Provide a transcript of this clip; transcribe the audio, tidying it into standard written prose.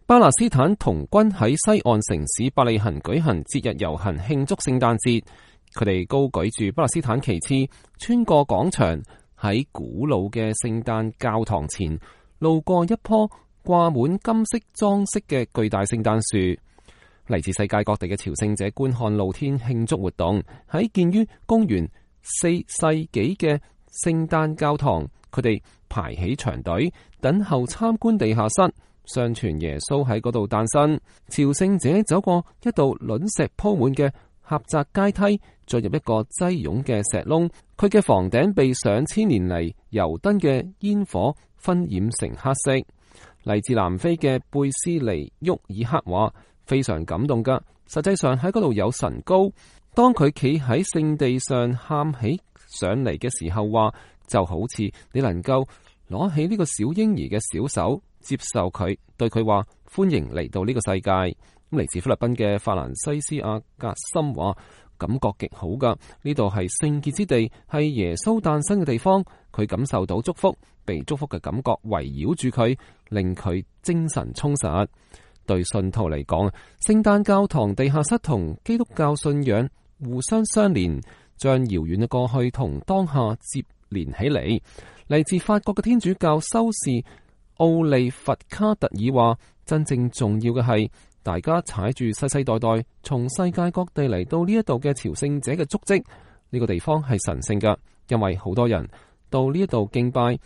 巴勒斯坦童軍喺西岸城市伯利恆舉行節日遊行慶祝聖誕節，佢哋高舉住巴勒斯坦旗幟，穿過廣場，喺古老嘅聖誕教堂前路過一棵掛滿金色裝飾嘅巨大聖誕樹。嚟自世界各地嘅朝聖者觀看露天慶祝活動。喺建於公元4世紀嘅聖誕教堂，佢哋排起長隊等候參觀地下室。相傳耶穌喺嗰度誕生。朝聖者走過一道卵石鋪滿嘅狹窄階梯，進入一個擠擁嘅石窿。佢嘅房頂被上千年嚟油燈嘅煙火燻染成黑色。嚟自南非嘅貝斯尼沃爾克話非常感動噶。實際上喺嗰度有神膏。當佢企喺聖地上喊起上嚟嘅時候，話就好似你能夠攞起呢個小嬰兒嘅小手，接受佢，對佢話歡迎嚟到呢個世界。嚟自菲律賓嘅法蘭西斯阿格森話感覺極好噶，呢度係聖潔之地，係耶穌誕生嘅地方。佢感受到祝福，被祝福嘅感覺圍繞住佢，令佢精神充實。對信徒嚟講，聖誕教堂地下室同基督教信仰互相相連，將遙遠嘅過去同當下接連起嚟。嚟自法國嘅天主教修士奧利弗卡特爾話，真正重要嘅係大家踩住世世代代從世界各地嚟到呢一度嘅朝聖者嘅足跡。呢個地方係神聖㗎，因為好多人到呢一度敬拜，